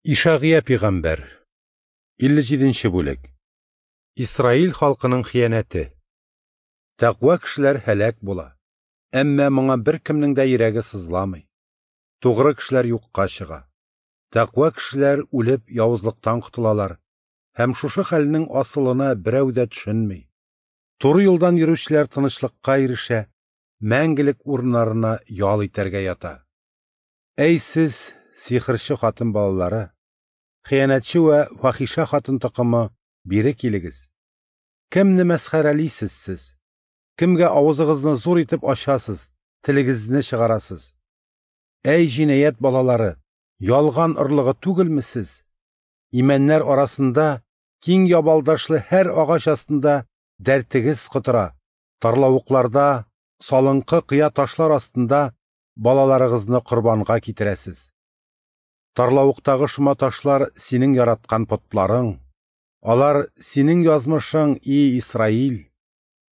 Ишагыя пигамбәр, 57 нче бүлек. Исраил халкының хыянәте. Тәкъва кешеләр һәлак була, әмма моңа беркемнең дә йөрәге сызламый. Тугры кешеләр юкка чыга. Тәкъва кешеләр үлеп явызлыктан котылалар, һәм шушы хәлнең асылына берәү дә төшенми. Туры юлдан йөрүчеләр тынычлыкка ирешә, мәңгелек урыннарына ял итәргә ята. Әй сез, сихерче хатын балалары, хыянәтче вә фахишә хатын токымы, бире килегез. Кемне мәсхәрәлисез сез? Кемгә авызыгызны зур итеп ачасыз, телегезне чыгарасыз? Әй җинаять балалары, ялган орлыгы түгелме сез? Имәннәр арасында киң ябалдашлы һәр агач астында дәртегез котыра, тарлавыкларда, салынкы кыя ташлар астында балаларыгызны корбанга китерәсез. Тарлавыктагы шома ташлар синең яраткан потларың, алар синең язмышың, и Исраил.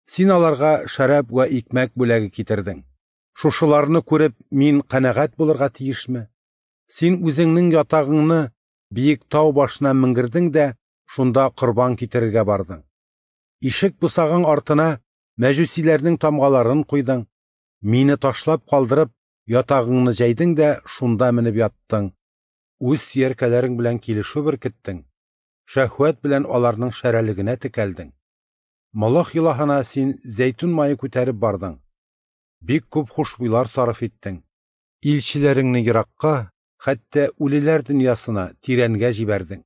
Син аларга шәраб вә икмәк бүләге китердең. Шушыларны күреп, мин канәгать булырга тиешме? Син үзеңнең ятагыңны биек тау башына менгердең дә шунда корбан китерергә бардың. Ишек бусагаң артына мәҗүсиләрнең тамгаларын куйдың. Мине ташлап калдырып, ятагыңны җәйдең дә шунда менеп яттың. Үз сөяркәләрең белән килешү беркеттең, шәһвәт белән аларның шәрәлегенә текәлдең. Молох илаһына син зәйтүн мае күтәреп бардың. Бик күп хушбуйлар сарыф иттең. Илчеләреңне еракка, хәтта үлеләр дөньясына, тирәнгә җибәрдең.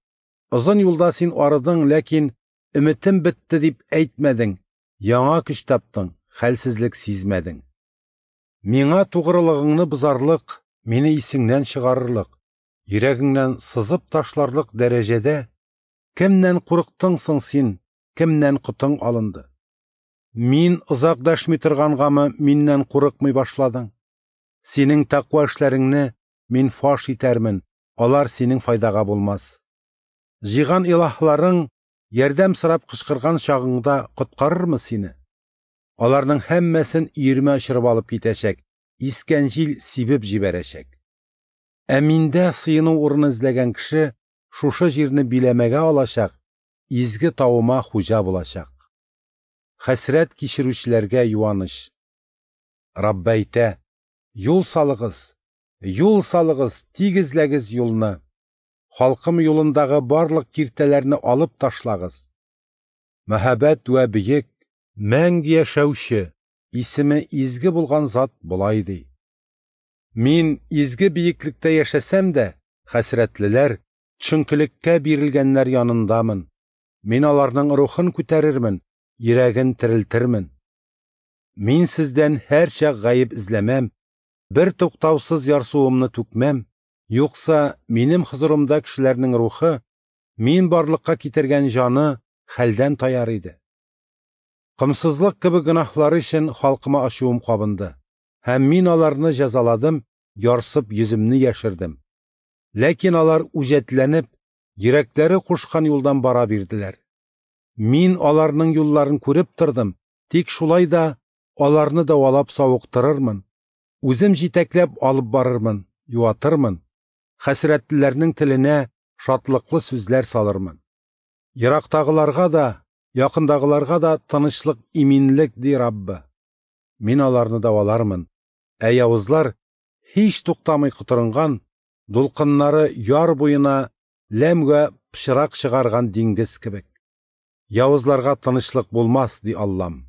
Озын юлда син арыдың, ләкин өметем бетте дип әйтмәдең, яңа көч таптың, хәлсезлек сизмәдең. Миңа тугрылыгыңны бозарлык, мине исеңнән чыгарырлык, йөрәгеңнән сызып ташларлык дәрәҗәдә кемнән курыктың соң син, кемнән котың алынды? Мин озак дәшми торгангамы миннән курыкмый башладың? Синең тәкъва эшләреңне мин фаш итәрмен, алар синең файдага булмас. Җыйган илаһларың ярдәм сорап кычкырган чагыңда коткарырмы сине? Аларның һәммәсен өермә очырып алып китәчәк, искән җил сибеп җибәрәчәк. Ә миндә сыену урыны эзләгән кеше шушы җирне биләмәгә алачак, изге тавыма хуҗа булачак. Хәсрәт кичерүчеләргә юаныч. Раббы әйтә: юл салыгыз, юл салыгыз, тигезләгез юлны. Халкым юлындагы барлык киртәләрне алып ташлагыз. Мәһабәт вә бөек, мәңге яшәүче, исеме изге булган зат болай ди: Мин изге биеклектә яшәсәм дә, хәсрәтлеләр, төшенкелеккә бирелгәннәр янындамын. Мин аларның рухын күтәрермен, йөрәген терелтермен. Мин сездән һәрчак гаеп эзләмәм, бер туктаусыз ярсуымны түкмәм, юкса минем хозурымда кешеләрнең рухы, мин барлыкка китергән җаны хәлдән таяр иде. Комсызлык кебек гөнаһлары өчен халкыма ачуым кабынды, һәм мин аларны җәзаладым, ярсып йөземне яшердем. Ләкин алар үҗәтләнеп, йөрәкләре кушкан юлдан бара бирделәр. Мин аларның юлларын күреп тордым, тик шулай да аларны дәвалап савыктырырмын. Үзем җитәкләп алып барырмын, юатырмын. Хәсрәтлеләрнең теленә шатлыклы сүзләр салырмын. Ерактагыларга да, якындагыларга да тынычлык, иминлек, ди Раббы. Мин аларны дәвалармын. Ә явызлар һич туктамый котырынган, дулкыннары яр буена ләмгә пычрак чыгарган диңгез кебек. Явызларга тынычлык булмас, ди Аллам.